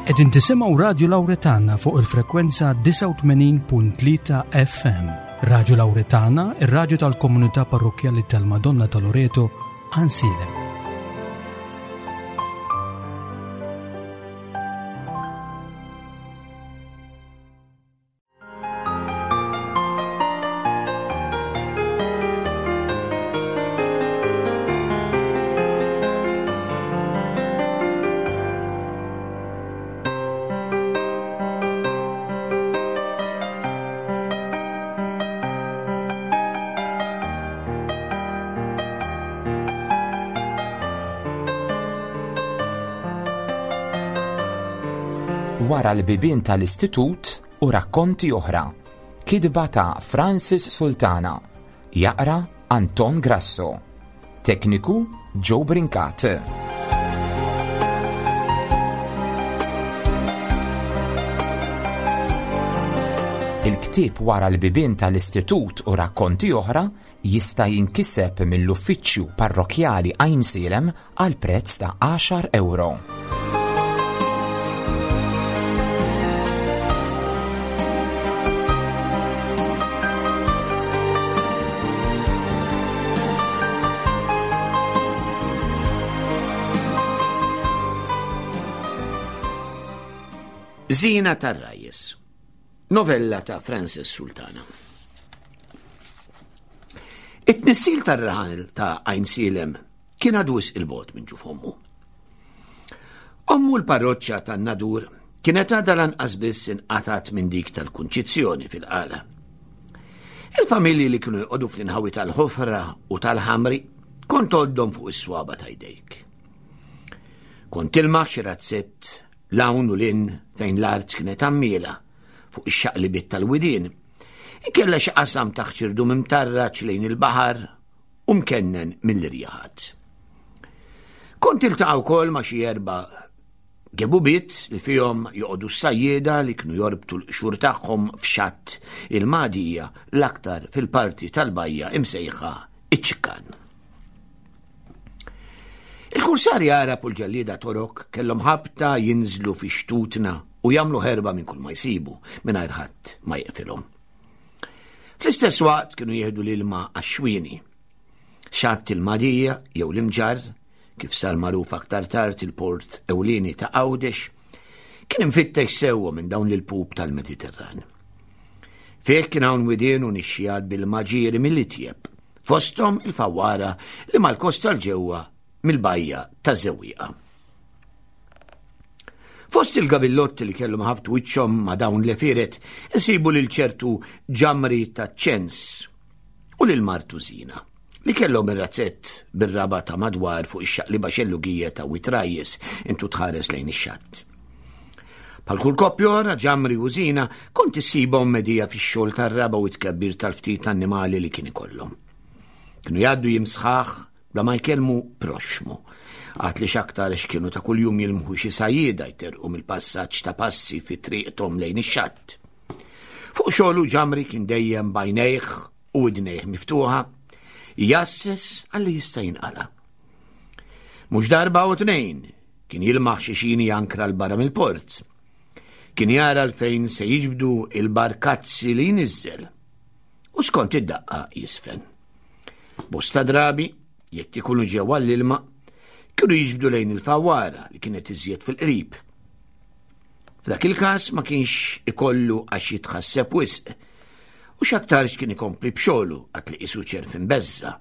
Qegħdin tisimgħu Radju Lawretana fuq il-frekwenza 89.3 FM. Radju Lawretana, ir-radju tal-komunità parrokkjali tal-Madonna ta' Loreto, Ansilem. Wara l-bibien tal-istitut u rakkonti oħra. Kitba ta' Francis Sultana. Jaqra Anton Grasso. Tekniku Joe Brincat. Il-ktieb Wara l-bibien tal-istitut u rakkonti oħra jista' jinkiseb mill-Uffiċċju Parrokkjali Għajnsielem għal prezz ta' għaxar ewro. Zina tar-Rajjes. Novella ta' Francis Sultana. It-tnissil tar-raħal ta' Għajnsielem Kien għadu wisq il-bogħod minn ġuf ommu. Ommu l-parroċċa tan-Nadur kienet għadha lanqas biss inqatgħet minn dik tal-Kunċizzjoni fil-Qala. Il-familji li kienu jqogħdu fl-inħawi tal-ħofra u tal-ħamri kont għoddhom fuq is-swaba ta' jdejk. Kont tilmaħ xi razzett l-hawn u l-in fejn l-art kienet għammiela fuq ix-xaqlibiet tal-widien. Ikella xi qasam taħt xirdum imtarraġ lejn il-baħar u mkennen mill-irjaħat. Kont iltaqa' wkoll ma' xi erba' gebubiet li fihom joqogħdu s-sajjieda li kienu jorbtu l-qxur tagħhom f'xatt il-Magħdija l-aktar fil-parti tal-bajja imsejħa iċ-Ċikkan. Il-kursari Għarab u l-ġellieda Torok kellhom ħabta jinżlu fi xtutna u jagħmlu ħerba minn kull ma jsibu mingħajr ħadd ma jeqfilhom. Fl-istess waqt kienu jieħdu l-ilma għax-xwieni. Xatt il-Madija jew l-Imġarr, kif sar magħruf aktar tard il-port ewlieni ta' Għawdex, kien imfittex sewwa minn dawn l-ilpup tal-Mediterran. Fih kien hawn widien u nixxijat bil-maġieri mill-itjeb, fosthom il-fawwara li mal-kosta l-ġewwa mill-bajja ta' Żewwieqa. Fost il-gabillotti li kellhom ħabtu wiċċhom ma' dawn l-għefieret insibu lil ċertu Ġamri taċ-Ċens u lil martu Zina, li kellhom ir-razzett bir-raba' ta' madwar fuq ix-xaqliba xellugija ta' Wied Rajjes intu tħares lejn ix-xatt. Bħal kull koppja oħra, Ġamri u Zina kont issibhom medija fix-xogħol tar-raba' u t-tkebbir tal-ftit annimali li kien ikollhom. Kienu jgħaddu jiem sħaħ bla ma jkellmu proxxmu. Għad li x'aktarx kienu ta' kuljum jilmħu xi sajjieda jterrqu mill-passaġġ ta' passi fi triqthom lejn ix-xatt. Fuq xogħlu Ġamri kien dejjem b'għajnejh u widnejh miftuħa, jgħasses għalli jista' jinqala'. Mhux darba u tnejn kien jilmaħ xi xini jankra 'l barra mill-port. Kien jara 'l fejn se jiġbdu il-barkazzi li jniżżel. U skont id-daqqa jisfen. Bosta drabi, jekk ikunu ġew għall-ilma, kienu jiġbdu lejn il-fawwara li kienet iżjed fil-qrib. F'dak il-każ ma kienx ikollu għax jitħasseb wisq u x'aktarx kien ikompli b'xogħlu għad li qisu ċerf imbeżża,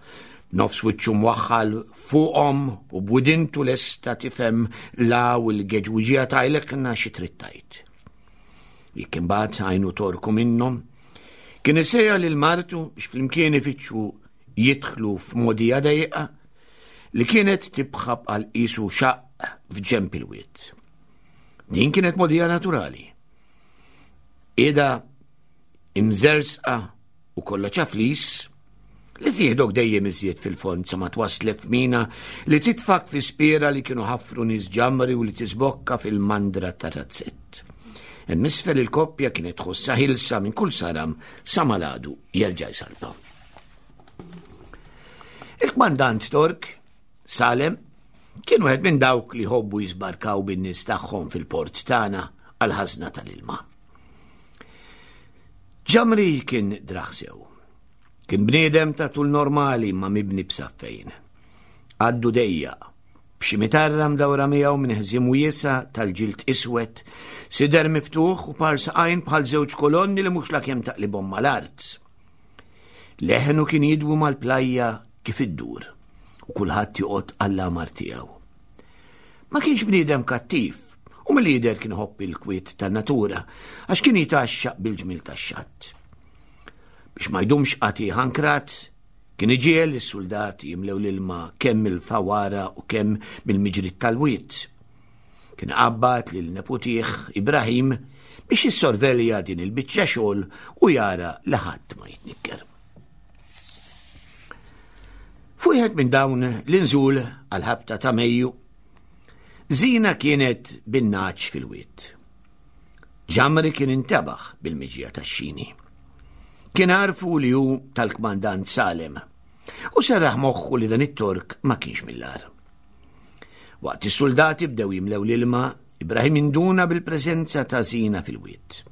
b'nofs wiċċu mwaħħal fuqhom u b'widintu lesta tifhem la u l-geġwiġija tajlekna xi trid tgħid. Jekk imbagħad għajnu torku minnhom, Kien isejja lil martu biex flimkien ifittxu jidħlu f'modija dejqa li kienet tibħab għal qisu xaqq f'ġemp il-wied. Din kienet modija naturali. Ida imżersqa u kollha ċaflis li tieħdok dejjem iżjed fil-fond sa ma twaslek f'mina li titfak fi spiera li kienu ħafru nies ġamri u li tisbokka fil-mandra tar-razzett. Hemm isfel il-koppja kienet tħossha ħilsa minn kull saram sa maladu jerġa' jsalpa. Il-kmandant Tork, Salem, Kien wieħed minn dawk li jħobbu jiżbarkaw bin-nies tagħhom fil-port tagħna għall-ħażna tal-ilma. Ġamri kien draħ sew. Kien bniedem ta' tul normali ma mibni b'saffejn. Għaddu dejjaq, b'xi mitarra mdawra miegħu minn ħżiem wiesa' tal-ġild iswed, sider miftuħ u par saqajn bħal żewġ kolonni li mhux lakemm taqlibhom mal-art. Leħnu kien jidwu mal-plajja kif iddur u kulħadd joqgħod għall-għamar tiegħu. Ma kienx bniedem kattiv u mill-jidher kien iħobb il-kwiet tan-natura għax kien jitgħaxxaq bil-ġmiel tax-xatt. Biex ma jdumx qatigħ ankrat, kien iġiegħel lis-suldati jimlew l-ilma kemm mill-fawara u kemm mill-miġriet tal-wied. Kien qabbad lil neputih Ibrahim biex jissorvelja din il-biċċa xogħol u jara li ħadd ma jitnikker. Fuq wieħed minn dawn l-inżul għal-ħabta ta' Mejju, Zina kienet bin-naċ fil-wied. Ġamri kien intebaħ bil-miġja tax-xini. Kien għarfu li hu tal-kmandant Salem u serraħ moħħu li dan it-Tork ma kienx mill-agħar. Waqt is-suldati bdew jimlew l-ilma, Ibrahim induna bil-preżenza ta' Zina fil-wied.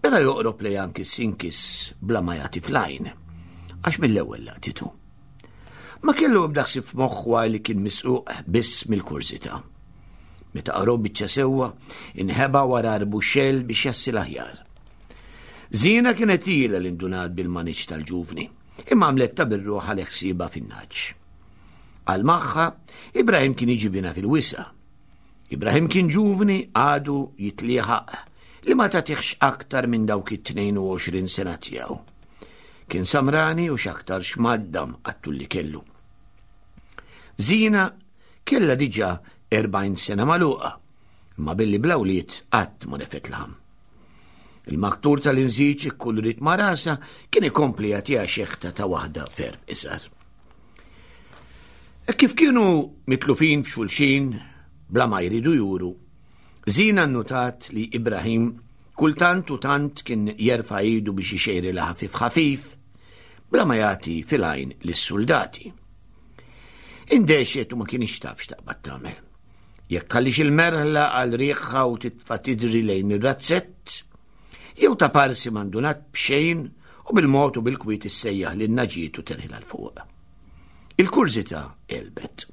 Beda joqrob lejha nkiss inkiss bla ma jagħti fl-għajn, għax mill-ewwel laqtitu. Ma kellu ebda ħsieb f'moħħu għaj li kien misruq biss mill-kurżità. Meta qarob biċċa sewwa, inħeba wara arbuxxell biex jassil aħjar. Zina kienet ilha li ndunat bil-maniġġ tal-ġuvni, imma għamlet ta' birruħ għal ħsiebha fin-naġġ. Għal magħha, Ibrahim kien jiġi bina fil-wisa. Ibrahim kien ġuvni għadu jitlieħaq li ma tagħtihx aktar minn dawk it-22 sena tiegħu. Kien samrani u x'aktar x'maddam għattul li kellu. Zina Kellha diġà 40 sena magħluqa, imma billi bla wlied qatt ma refet laħam. Il-maktur tal-inżiġ ikkulurit ma' rasha kien ikompli jagħtiha xeħta ta' waħda ferm iżgħar. E kif kienu mitlufin f'xulxin bla ma jridu juru, Zina nnutat li Ibrahim kultant u tant kien jerfa' idu biex ixejrilha ħafif ħafif bla ma jagħti fil-għajn lis-suldati. Indexet u ma kienx taf x'taqbad tagħmel. Jekk tħallix il-merħla għal riħha u titfa' tidri lejn ir-razzett, jew ta' parsi mandunat b'xejn u bil-mod u bil-kwiet issejjaħ lil naġiet u terħilha 'l fuq. Il-kurżità għelbet.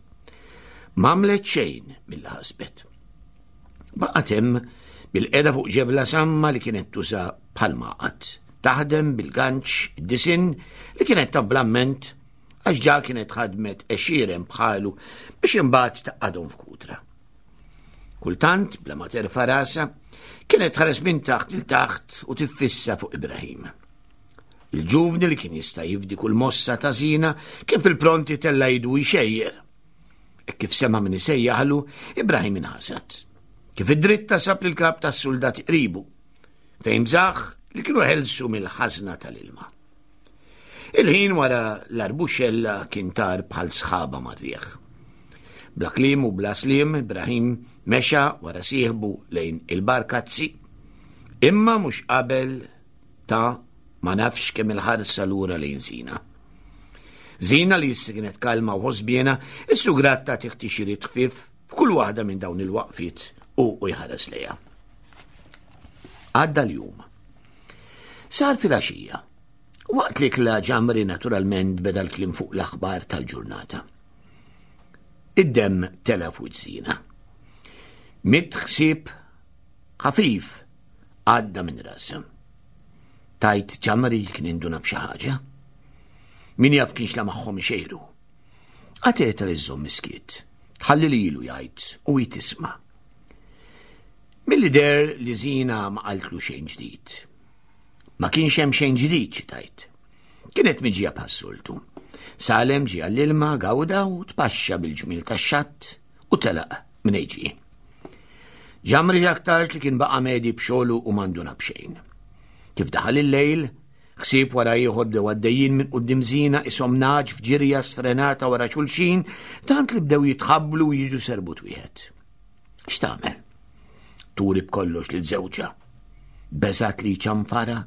M'għamlet xejn milli ħasbet. Baqgħet hemm bil-qeda fuq ġebla samma li kienet tuża bħal maqgħad, taħdem bil-ganċ id-disinn li kienet taf bl-amment għax ġa kienet ħadmet għexieren bħalu biex imbagħad taqadhom f'kutra. Kultant, bla ma terfa' rasha, kienet tħares minn taħt il taħt u tiffissa fuq Ibrahim. Il-ġuvni li kien jista' jifdi kull mossa ta' zina kien fil-pronti tella jidu jxejjer. E kif sema min isejjaħlu, Ibrahim inħasad. Kif id-dritta sab lil kap tas-soldati qribu, fejn bżaħ li kienu ħelsu mill-ħażna tal-ilma. Il-ħin wara l-arbuxella kien tar bħal sħaba mar-riħ. Bla kliem u bla sliem, Ibrahim mexa wara sieħbu lejn il-barkazzi, imma mhux qabel ta' ma nafx kemm il-ħarsa lura lejn Zina. Zina li issa kienet kalma u ħosbiena, is-sugrat ta' tiħtixiriet ħfief f'kull waħda minn dawn il-waqfiet u u jħares lejha. Għadda l-jum. Sar filgħaxija. Waqt li kla ġamri naturalment beda l-kliem fuq l-aħbar tal-ġurnata. Id-demm tela fuq żina. Mit ħsieb ħafif għadda minn rasa. Tajt ġamri kien induna b'xi ħaġa. Min jaf kienx la magħhom ixejru. Għateta li żżomm miskiet, ħalli lilu jgħid u hi tisma'. Milli deher li Zina ma qaltlu xejn ġdid. Ma kienx hemm xejn ġdid xi tgħid. Kienet miġija bħas-soltu. Salem ġie għall-ilma, gawda u tpaxxa bil-ġmiel tax-xatt u telaq minn ġie. Ġamri aktarx li kien baqa' medi b'xogħlu u m'għanduna b'xejn. Kif daħal il-lejl, ħsieb wara ieħor bdew għaddejjin minn quddiem Zina ishom nagħaġ f'ġirja sfrenata wara xulxin tant li bdew jitħabblu u jiġu serbut wieħed. X'tagħmel? Turi b'kollox lil żewġha. Beżat li ċanfara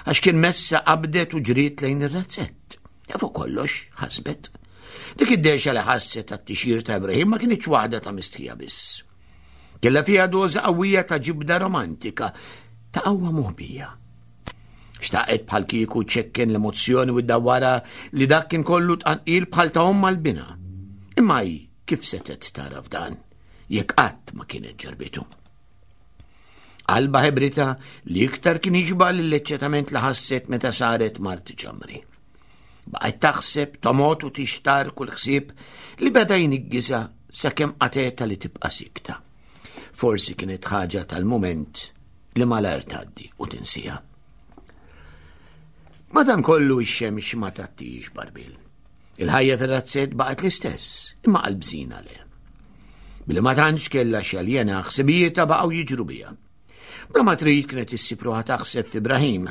għax kien messa qabdet u ġriet lejn ir-razzett. E fuq kollox ħasbet. Dik id-dehxa li ħasset għat-tixjir ta' Ibrahim ma kinitx waħda ta' mistħija biss. Kellha fiha doża qawwija ta' ġibda romantika, ta' qawwa moħbija. Xtaqet bħal kieku ċekken l-emozzjoni u ddawwara li dak kien kollu tqanqil bħal ta' omm għal-bina. Imma hi kif setgħet tara f'dan jekk qatt ma kienet ġarbitu. Qalba ħebrita li iktar kien jiġba l-eċċetament li ħasset meta saret mart ġamri. Baqgħet taħseb, tomot u tixtar kull ħsieb li beda jniggisa sakemm qateta li tibqa' sikta. Forsi kienet ħaġa tal-mument li malajr tgħaddi u tinsija. Madankollu ix-xemx ma tattix barbil. Il-ħajja fir-razzett baqgħet l-istess, imma qalbżina le. Billi ma tantx kellha xaljena ħsibijietha baqgħu jiġru biha. Bla ma trid kienet issib ruħha taħseb f'Ibrahim.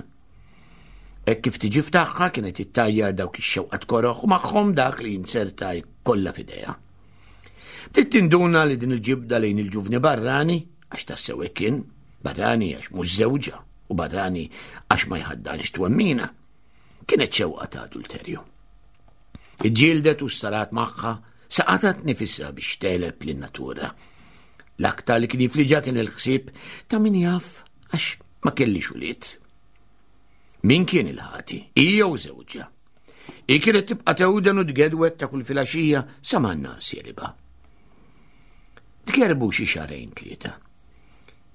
Hekk kif tiġi f'tagħha kienet ittajjar dawk ix-xewqat koroħ u magħhom dak li jinzerta kollha f'idejha. Bdiet tinduna li din il-ġibda lejn il-ġuvni barrani, għax tassew hekk kien, barrani għax mhux żewġha u barrani għax ma jħaddanx twemmina, kienet xewqa ta' adulterju. Iġġieldet u sarat magħha saqatat nifisha biex teleb lin-natura. L-aktar li kien jifliġa kien il-ħsieb ta' min jaf għax ma kellix ulied. Min kien il-ħati? Hi jew żewġha? Hi kienet tibqa' tewden u tgedwet ta' kull filgħaxija sa ma n-nas jeliba. Tkerbu xi xarejn tlieta.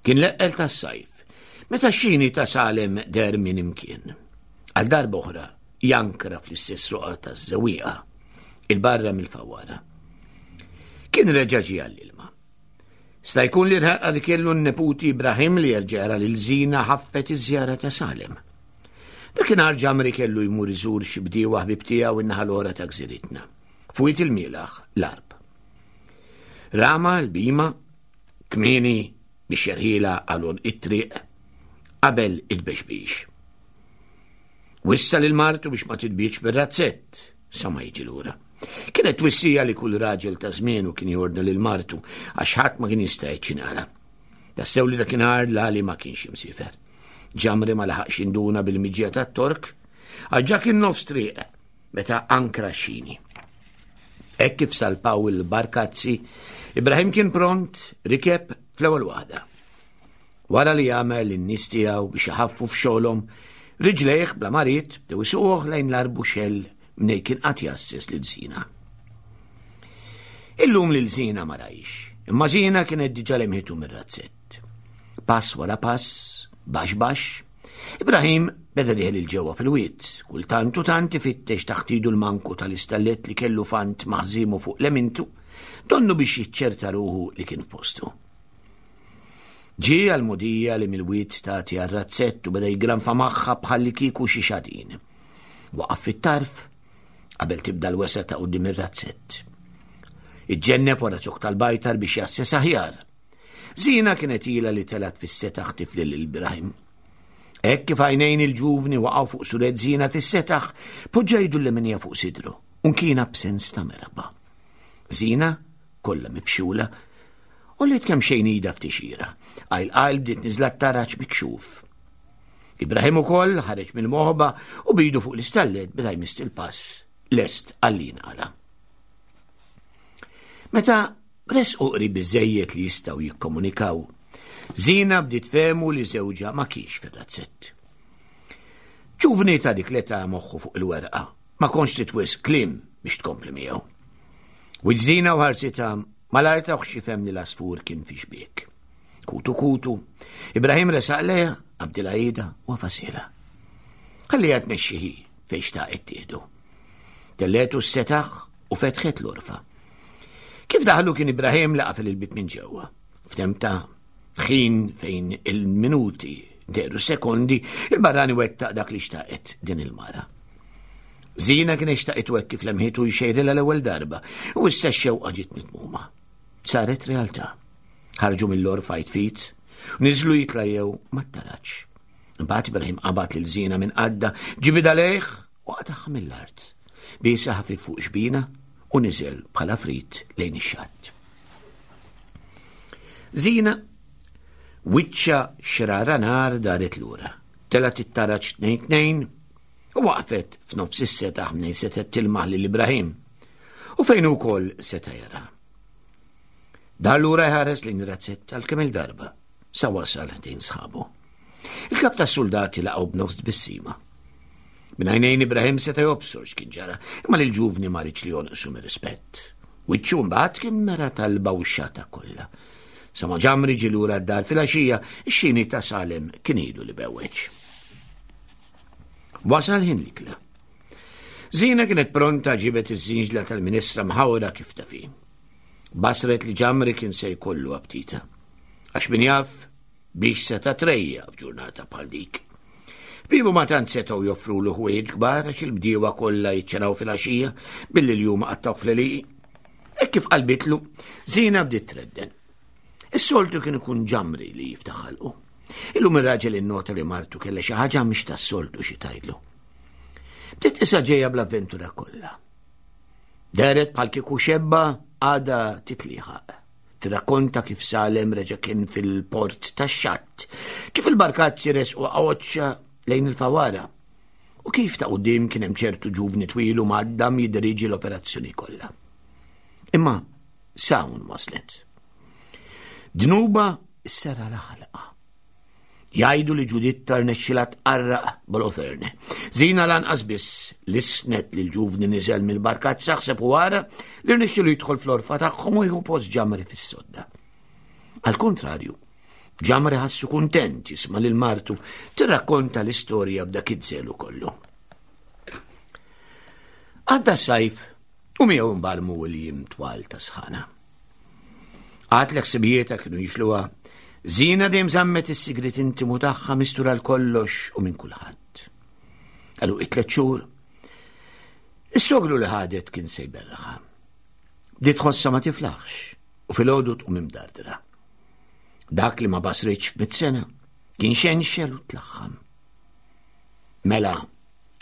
Kien l-eqqel tas-sajf, meta x-xini ta' Salem der minn imkien. Għal darba oħra jankra fl-istess roqa taż-żewwieqa, il-barra mill-fawwara. Kien reġa' ġie għall-ilma. Sta jkun li l-ħerqa li kellu n-neputi Ibrahim li jerġa' jara lil Zina ħaffet iż-żjara ta' Salem. Dakinhar Ġamri kellu jmur iżur xi bdiewa ħbieb tiegħu in-naħa l-oħra ta' gżiritna, f'Wied il-Mielaħ, l-Għarb. Rama l-bima kmieni biex jerħilha għal għonq it-triq qabel it-tbexbix. Wissa lil martu biex ma titbietx bir-razzett sa ma jiġi lura. Kienet twissija li kull raġel ta' żmienu kien jordna lil martu għax ħadd ma kien jista' jiċċinara. Tassew li dakinhar l-għali ma kienx imsifer. Ġamri ma laħaqx induna bil-miġja tat-Tork, għax ġa kien nofs triq meta ankra xini. Hekk kif salpaw il-barkazzi, Ibrahim kien pront rikeb fl-ewwel waħda. Wara li għamel lin-nies tiegħu biex iħaffu f'xogħolhom, riġlejh bla ma ried bdew isuquh lejn l-arbuxell mnej kien qatt jasses lil Zina. Illum lil Zina ma rajx, imma Zina kienet diġà lemħitu mir-razzett. Pass wara pass, baxx baxx, Ibrahim beda dieħel il-ġewwa fil-wied, kultant u tant ifittex taħt idu l-manku tal-istallet li kellu fant maħżimu fuq lemintu, donnu biex jiċċerta ruħu li kien f'postu. Ġie għall-mogħdija li mill-wied tagħti għar-razzett u beda jigranfa magħha bħallikieku xi xadin. Waqaf fit-tarf qabel tibda l-wesgħa ta' quddiem ir-razzett. Iġġenneb wara zokk tal-bajtar biex jasses aħjar. Zina kienet ilha li telgħet fis-setaħ tifli lil Ibrahim. Hekk kif għajnejn il-ġuvni waqgħu fuq suret Zina fis-setaħ, poġġa idu l-leminija fuq sidru u nkiena b'sens ta' merħba. Zina kollha mifxula, u li kemm xejn ida ftixira. Għajl qajl bdiet niżla t-taraġ mikxuf. Ibrahim ukoll ħareġ mill-moħba u bidu fuq l-istallet beda jmiss il-pass lest għalli jinqala. Meta resqu qrib biżejjed li jistgħu jikkomunikaw, Zina bdiet fehmu li żewġha ma kienx fir-razzett. Ġuvni ta' dik l-età moħħu fuq il-werqa, ma kontx trid wisq kliem biex tkompli miegħu. Wiġżina u ħarsitha malajr tawh x'jifhem li l-għasfur kien fi xbiek. Kutu kutu, Ibrahim resaq lejha, qabdilha idha u għafasilha. Ħalliha tmexxi hi fejn xtaqet tieħdu. Telletu s-setaħ u fetħet l-urfa. Kif daħlu kien Ibrahim li qafel il-bib minn ġewwa. F'temp ta' ħin fejn il-minuti dehru sekondi, il-barrani wettaq dak li xtaqet din il-mara. Zina kien xtaqet hekk kif lemħitu jxejrilha l-ewwel darba u issa x-xewqa ġiet mitmuma. Saret realtà. Ħarġu mill-orfa jitfit, niżlu jitlajjew mat-taraġ. Imbagħad Ibrahim qabad lil Zina minn qadda, ġibidha lejh u qatagħha mill-art. Biesha ħafif fuq xbina u niżel bħala frit lejn ix-xatt. Zina wiċċa xrara nar daret lura. Telgħet it-taraġ tnejn tnejn u waqfet f'nofs is-setaħ mnejn setgħet tilmaħ lil Ibrahim. U fejn ukoll seta' jara. Dar lura jħares lejn ir-razzett għal kemm il-darba sa wasal ħdejn sħabu. Il-kap tas-suldati laqgħu b'nofs tbissima. Minn għajnejn Ibrahim seta' jobsor x'kien ġara, imma lil ġuvni ma riedx li jonqsu mir-rispett. Wiċċu mbagħad kien mera talba u xata kollha. Sa ma ġamri ġie lura d-dar filgħaxija, ix-xini ta' Salem kien ilu li bewweġ. Wasal ħin l-ikla. Zina kienet pronta ġibet iż-żinġla tal-ministra mħawra kif tafi. Basret li ġamri kien se jkollu aptita. Għax min jaf biex seta' trejja f'ġurnata bħal dik. Bibu ma tant setgħu joffrulu ħwejjeġ kbar għax il-bdiewa kollha jiċċenaw fil-għaxija billi l-jum qattaw fl-għelieqi. Hekk kif qalbitlu, Zina bdiet tredden. Is-soltu kien ikun ġamri li jiftaħ ħalqu. Illum ir-raġel innota li martu kellha xi ħaġa mhix tas-soltu xi tgħidlu. Bdiet isa ġejja bl-avventura kollha. Dehret bħal kieku xebba għada titliħaq. Tirrakkonta kif Salem reġa' kien fil-port tax-xatt, kif il-barkazzi resqu għoċċa lejn il-fawara u kif ta' quddiem kien hemm ċertu ġuvni twil u mgħaddam jiddiriġi l-operazzjoni kollha. Imma s'hawn waslet. Dnuba s-sera l-ħalqa. Jgħidu li Ġuditta rnexxilha tqarraq b'Oloferne. Zina lanqas biss lissnet li l-ġuvni niżel mill-barkazza ħseb u wara li rnexxilu jidħol fl-orfa tagħhom u jieħu post ġamri fis-sodda. Għal kontrarju, ġamri ħassu kuntent jisma' lil martu tirrakkonta l-istorja b'dak iż-żelu kollu. Għadda s-sajf u miegħu mbarmu l-jiem twal ta' sħana. Għad li ħsibijietha kienu jixluha, Zina dejjem żammet is-sigriet intimu tagħha mistur għal kollox u minn kulħadd. Għalu it-tlet xhur, is-sogru li ħadet kien se jberraħha. Bdiet tħossha ma tiflaħx u filgħodu tqum imdardra. Dak li ma basritx f'mit sena kien xenxel u tlaħħam. Mela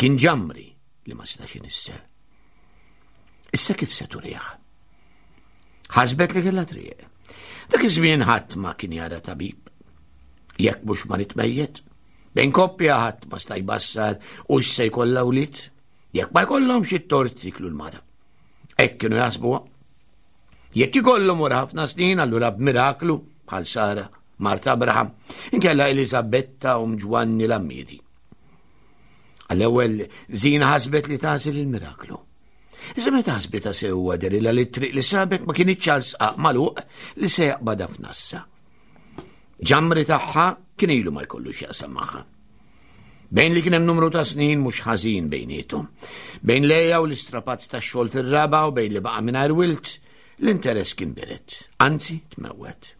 kien ġamri li ma setax inissel. Issa kif se turih? Ħasbet li kellha triq. Dak iż-żmien ħadd ma kien jara tabib. Jekk mhux marit mejjet, bejn koppja ħadd ma sta jbassar u se jkollha wlied, jekk ma jkollhomx it-tort jiklu l-mara. Hekk kienu jaħsbuha. Jekk ikollhom wara ħafna snin allura b'miraklu bħal Sara, Marta Abraham, inkella Eliżabetta u Ġwanni l-Ammiedi. Għall-ewwel Zina ħasbet li tagħżel il-miraklu. Iżda meta ħasbitha sewwa derilha li t-triq li sabet ma kinitx għal sqaq magħluq li se jaqbadha f'nassa. Ġamri tagħha kien ilu ma jkollu x'jaqsam magħha. Bejn li kien hemm numru ta' snin mhux ħażin bejniethom. Bejn lejja u l-istrapazz tax-xogħol fir-raba' u bejn li baqa' mingħajr wilt, l-interess kien biret, anzi tmewwet.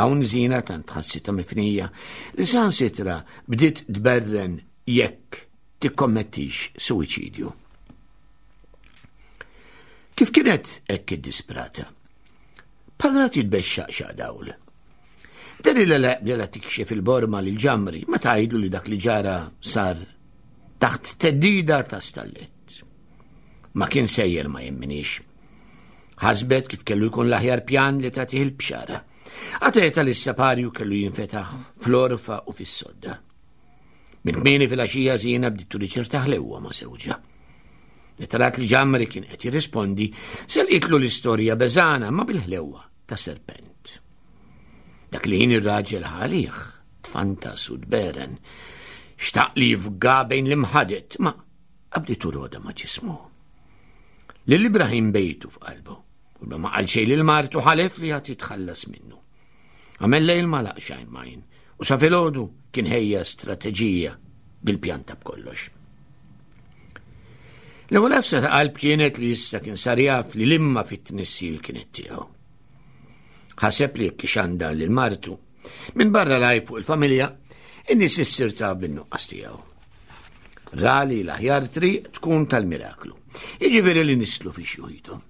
Hawn Zina tant ħassitha mifnija li saħansitra bdiet tberren jekk tikkommettix suwiċidju. Kif kienet hekk iddisprata? Bħal rat jitbexxaq xaq dawl. Deri li la tikxef il-borma lil ġamri ma tgħidlu li dak li ġara sar taħt teddida ta' stallett. Ma kien sejjer ma jemminix. Ħasbet kif kellu jkun l-aħjar pjan li tagħtih il-bxara. Għateta li s-saparju kellu jinfetaħ fl-orfa u fis-sodda. Minn kmieni fil-għaxija Zina bdiet turi ċerta ħlewwa ma' sewġa. Meta rat li Ġamri kien qed jirrispondi, selqitlu l-istorja beżana ma bil-ħlewwa ta' serpent. Dak li ħin ir-raġel ħalih, tfantas u tberen, xtaq li jifga bejn l-imħadet, ma qabditu roda ma' ġismu. Lil Ibrahim bejtu f'qalbu, u ma qal xejn lil martu ħalef li għad jitħallas minnu. Għamel lejl ma laqx għajn majn, u sa filgħodu kien ħejja strateġija bil-pjanta b'kollox. L-ewwel għafsa ta' qalb kienet li issa kien sar jaf li l-imma fit-tnissil kienet tiegħu. Ħaseb li jekk ixandar lil martu, minn barra lajb fuq il-familja, in-nies issir ta' bin-nuqqas tiegħu. Ra li l-aħjar triq tkun tal-miraklu. Jiġifieri li nislu fi xjuħithom.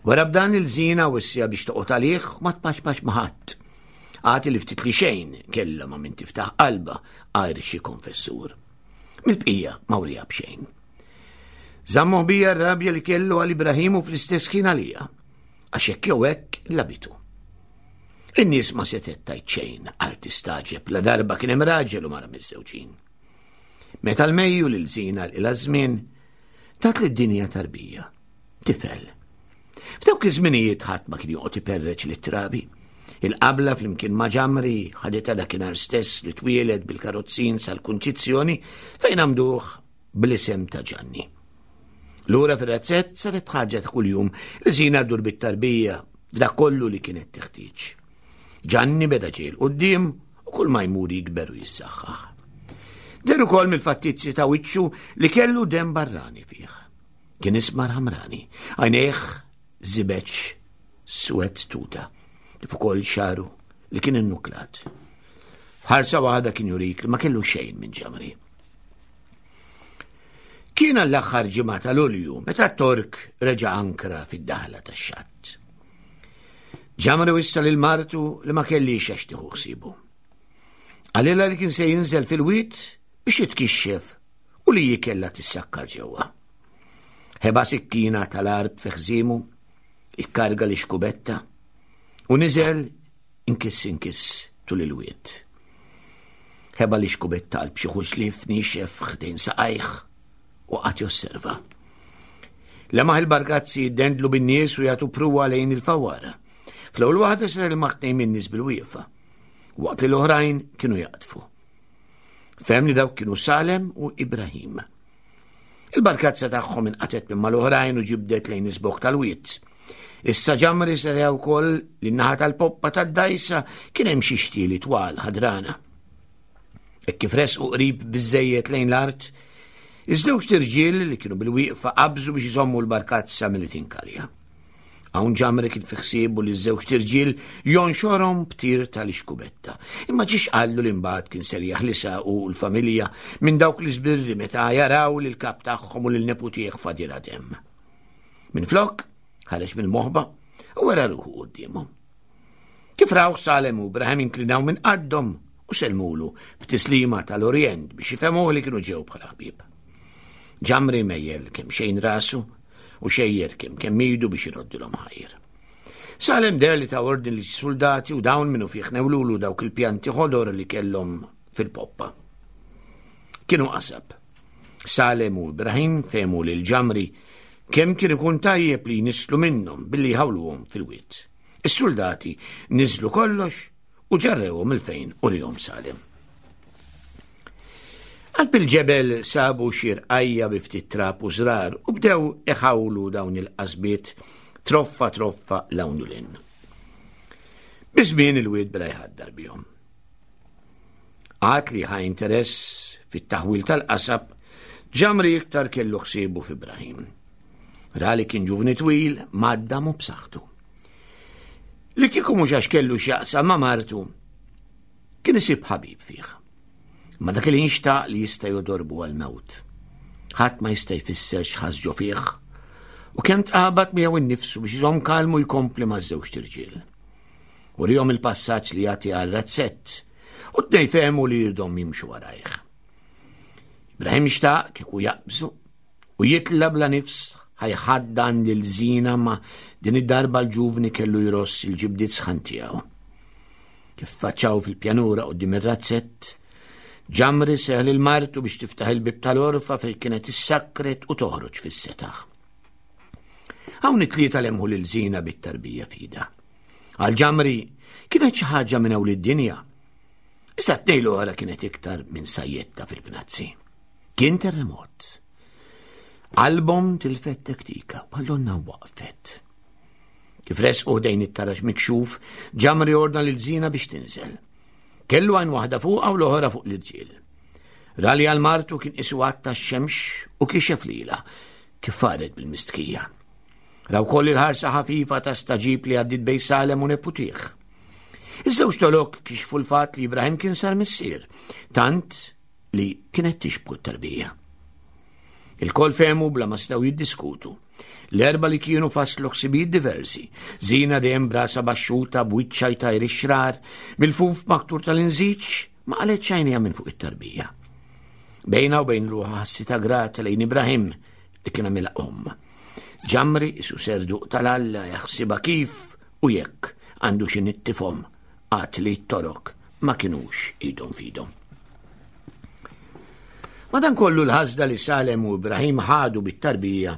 Wara b'dan il-żina wissija biex toqgħod għalih u ma tpaċpaċ ma' ħadd. Għati li ftit li xejn kellha ma' min tiftaħ qalba għajr xi konfessur. Mill-bqija ma wrija b'xejn. Żammu bija r-rabja li kellu għal Ibrahimu fl-istess ħin għalija, għax hekk jew hekk labitu. In-nies ma setet tajt xejn għal tistaġeb la darba kien hemm raġel u mara miż-żewġin. Meta l-mejju lil żina l-ila żmien, tat lid-dinja tarbija. Tifel. F'dawk iż-żminijiet ħadd ma kien joqgħod iperreċ lit-trabi. Il-qabla flimkien ma' ġamri ħaditha dakinhar stess li twieled bil-karozzin sal-Kunċizzjoni fejn għamduh bl-isem ta' Ġanni. Lura fir-razzett saret ħaġa ta' kuljum li Zina ddur bit-tarbija f'dak kollu li kienet teħtieġ. Ġanni beda ġej 'l quddiem u kull ma jmur jikber u jissaħħaħ. Deher ukoll mill-fattizzi ta' wiċċu li kellu demm barrani fih. Kien ismar ħamrani, għajnejh żibeġ swed tuta, kif ukoll xagħru li kien innuklat. F'ħarsa waħda kien jurik li ma kellu xejn minn ġamri. Kien għall-aħħar ġimgħa ta' Lulju meta t-Tork reġa' ankra fid-daħla tax-xatt. Ġamri wissa lil martu li ma kellix għax tieħu ħsiebu. Qalilha li kien se jinżel fil-wied biex jitkixxef u li hi kellha tissakkar ġewwa. Ħeba sikkina tal-għarb fi ħżiemu, ikkarga l-ixkubetta u niżel Inkiss inkiss tul il-wied. Ħeba l-ixkubett qalb xi ħuxlief niexef ħdejn saqajh u qagħad josserva. Lemaħ il-barkazzi jiddendlu bin-nies u jagħtu pruwa lejn il-fawwara. Fl-ewwel waħda sar il tnejn min-nies bil-wieqfa, waqt li l-oħrajn kienu jaqdfu. Fehem li dawk kienu Salem u Ibrahim. Il-barkazza tagħhom inqatgħet minn mal-oħrajn u ġibdet lejn iż-żbokk tal-wied. Issa ġamri seta' wkoll li n-naħa tal-poppa tad-dgħajsa kien hemm xi xtieli twal ħadrana. Hekk kif resqu qrib biżżejjed lejn l-art, iż-żewġt irġiel li kienu bil-wieqfa qabżu biex iżommu l-barkazza milli tinkalja. Hawn Ġamri kien fi ħsiebu li ż-żewġt irġiel jonxorhom b'tir tal-ixkubetta. Imma ġiex qallu li mbagħad kien ser jaħlisha hu l-familja minn dawk l-iżbirri meta jaraw lil kap tagħhom u lil neputih fadilha demm. Minflok, ħareġ mill-moħba u wera ruħu quddiemhom. Kif rawh Salem u Ibrahim inklinaw minn qaddhom u sellmulu b'tislima tal-Orjent biex jifhmuh li kienu ġew bħala ħbieb. Ġamri mejjel kemm xejn rasu u xejjer kemm kemm idu biex iroddilhom ħajr. Salem deher li ta ordni li soldati u dawn minnu fih newlulu dawk il-pjanti ħodor li kellhom fil-poppa. Kienu qasab. Salem u Ibrahim fehmu lil Ġamri kemm kien ikun tajjeb li jnisslu minnhom billi jħawluhom fil-wied. Is-suldati niżlu kollox u ġarrewhom il-fejn urihom Salem. Qalb il-ġebel sabu xi rqajja bi ftit trab u żrar u bdew iħawlu dawn il-qasbiet troffa troffa 'l hawn u 'l hinn. Biż-żmien il-wied beda jħaddar bihom. Għad li ħa interess fit-taħwil tal-qasab, Ġamri iktar kellu ħsiebu f'Ibrahim. Ra li kien ġuvni twil, maddam u b'saħħtu. Li kieku mhux għax kellu x'jaqsam ma' martu, kien isib ħabib fih. Ma dak li jinxtaq li jista' jodorbu għal-mewt. Ħadd ma jista' jfisser x'ħass ġo fih u kemm tqabad miegħu innifsu biex iżomm kalmu jkompli maż-żewġt irġiel. Urihom il passaġġ li jagħti għal razzett u tnej fehmu li jirdhom jimxu warajh. Ibrahim xtaq kieku jaqbżu u jitla bla nifs ħajħaddan lil Zina ma din id-darba l-ġuvni kellu jross il-ġibdiet sħan tiegħu. Kif faċċaw fil-pjanura quddiem ir-razzett, Ġamri seħ lil martu biex tiftaħ il-bib tal-orfa fejn kienet issakret u toħroġ fis-setaħ. Hawn it-tlieta lemħu lil Zina bit-tarbija fida. Għal Ġamri kienet xi ħaġa minn hawn id-dinja. Iżda t-tnejn l-oħra kienet iktar minn sajjetta fil-bnazzi. Kien terremot. Qalbhom tilfet tektika, bħal waqfet. Kif resqu ħdejn it-taraġ mikxuf, Ġamri ordna lil Zina biex tinżel. Kellu għajn waħda fuqha u l-oħra fuq l-irġiel. Ra li għal martu kien qisu għatta x-xemx u kixef lilha kif faret bil-mistħija. Ra wkoll il-ħarsa ħafifa ta' staġib li għaddiet bejn Salem u neputih. Iż-żewġ tolok kixfu l-fatt li Ibrahim kien sar missier, tant li kienet tixbku t-tarbija. Il-kol fehmu bla ma setgħu jiddiskutu. L-erba li kienu faslu ħsibijiet diversi, Zina dejjem brasa baxxuta b'wiċċa jtajr ix-xrar, mill-fuf maktur tal-inżiġ ma qalet xajnija minn fuq it-tarbija. Bejna u bejn ruħha ħassitha grata lejn Ibrahim li kien għamilha omm. Ġamri isu serduq tal-Alla jaħsibha kif u jekk għandu xi nittifhom għad li t-torok ma kinux idhom fidhom. Madankollu l-ħasda li Salem u Ibrahim ħadu bit-tarbija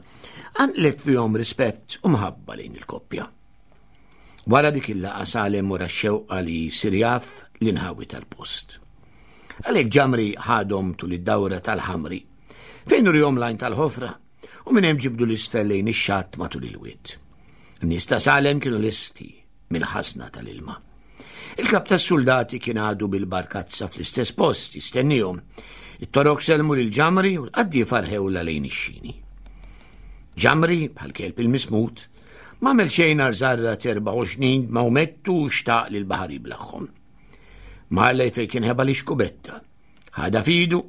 qanqlet fihom rispett u mħabba lejn il-koppja. Wara dik il-laqgħa Salem wara x-xewqa li jsir jaf l-inħawi tal-post. Għalhekk Ġamri ħadhom tul id-dawra tal-ħamri, fejn urihom l-għajn tal-ħofra u minn hemm ġibdu l-isfel lejn ix-xatt matul il-wied. In-nies ta' Salem kienu lesti mill-ħażna tal-ilma. Il-kap tas-suldati kien għadu bil-barkazza fl-istess post jistennihom. It-torok selmu lil Ġamri u l-qaddiefa rħewla lejn ix-xini. Ġamri, bħal kelb il-mismut, ma għamel xejn għar żarra 24 ma umettu u xtaq li l-baħar jiblaħħom. Marley fejn kien ħeba li xkubetta. Ħada fidu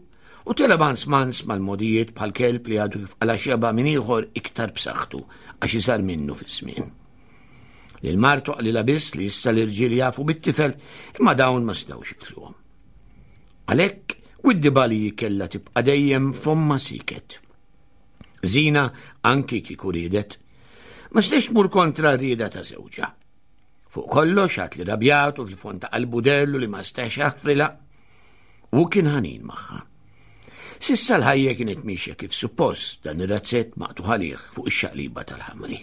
u tela mans mans mal-modijiet bħal kelb li għadu kif qala xeba minn ieħor iktar b'saħħtu għax isar minnu fiż-żmien. Lil martu qalilha biss li issa l-irġiel jafu bit-tifel imma dawn ma setgħux jifluhom. Għalhekk widdiba li kellha tibqa' dejjem fomma siket. Zina anki kieku riedet, ma setax tmur kontra r-rieda ta' żewġha. Fuq kollox għat li rabjat u fil-fond ta' qalbu dellu li ma stax jaħfrilha u kien ħanin magħha. Sissa l-ħajja kienet miexja kif suppost dan ir-razzett maqtuħ għalih fuq ix-xaqliba tal-ħamri.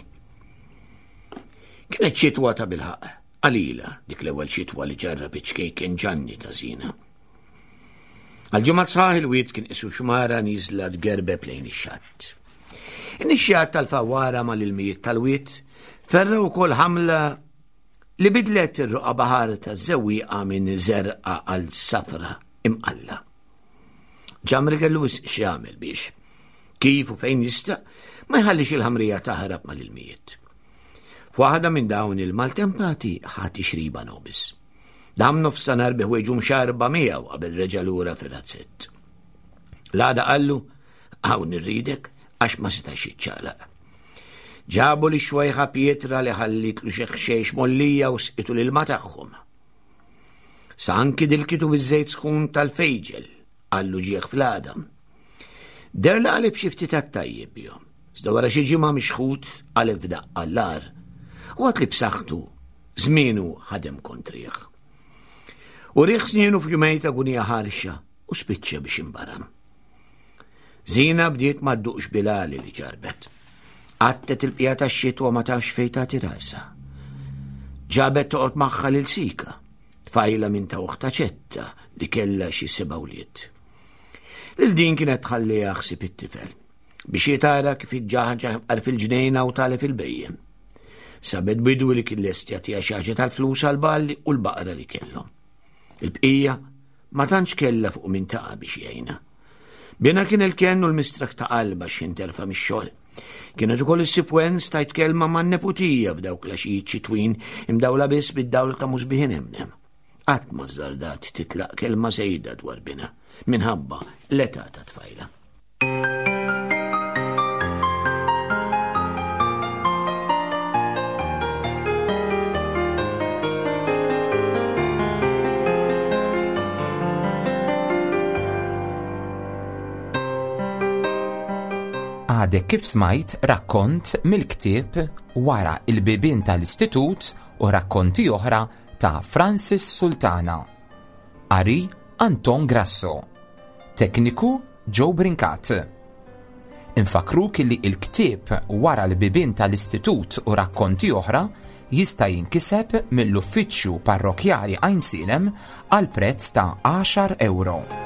Kienet xitwa ta' bilħaq, qalila dik l-ewwel xitwa li ġarrab iċ-ċkejken Ġanni ta' Zina. Għal-ġimgħat sħaħ il-wied kien qisu xmara nieżla tgerbeb lejn ix-xatt. In-nixxijat tal-fawwara mal-ilmijiet tal-wied ferra wkoll ħamla li bidlet ir-roqa baħar taż-żewwieqa minn żerqa għal safra imqalla. Ġamri kellu wisq x'jagħmel biex, kif u fejn jista' ma jħallix il-ħamrija taħrab mal-ilmijiet. F'waħda minn dawn il-maltempati ħa tixriba nobis. Dam nofstanhar bi ħwejġu mxarba miegħu qabel reġa' lura fir-razzett. L-għada qallu, hawn irridek għax ma setax jiċċaqlaq. Ġabu li xwejħa pietra li ħallitlu xi ħxejx mollija u sqitu l-ilma tagħhom. Sa anki dilkitu biż-żejt sħun tal-fejġel, qallu ġieħ fl-għadam. Der li qaleb xi ftit għat-tajjeb bihom. Iżda wara xi ġimgħa mixħut qaleb f'daqqa l-agħar u għad li b'saħħtu żmienu ħadem kontrih. U riħ snienu f'jumejn ta' gunija ħarxa u spiċċa biex imbaram. Zina bdiet ma dduqx bilali li ġarbet. Għattet il-bqija tax-xitwa ma tafx fejn tagħti rasha. Ġabet toqgħod magħha lil Sika, tfajla minn ta' oħta ċetta li kellha xi seba' wlied. Lil din kienet tħalliha ħsieb it-tifel biex jitara kif iġġaħġaħ imqar fil-ġnejna u tagħlef il-bejjem. Sabet bidwi li kien lest jagħtiha xi ħaġa tal-flus għall-balli u l-baqra li kellhom. Il-bqija Ma tantx kellha fuq min taqa' biex jgħinha. Binha kien il-kenn u l-mistraħ ta' qalbha x'ħin terfa' mix-xogħol. Kienet ukoll issib wens tajt kelma man-neputija f'dawk l-għaxijiet xitwin imdawla biss bid-dawl ta' musbieħ inemnem. Qatt ma żżardat titlaq kelma żejda dwar binha minħabba l-età ta' tfajla. Għadek kif smajt rakkont mill-ktieb Wara il-bibien tal-Istitut u rakkonti oħra ta' Francis Sultana. Qari Anton Grasso. Tekniku Joe Brincat. Infakruk li il-ktieb Wara l-bibien tal-Istitut u rakkonti oħra jista' jinkiseb mill-Uffiċċju Parrokkjali Għajnsielem għal prezz ta' għaxar ewro.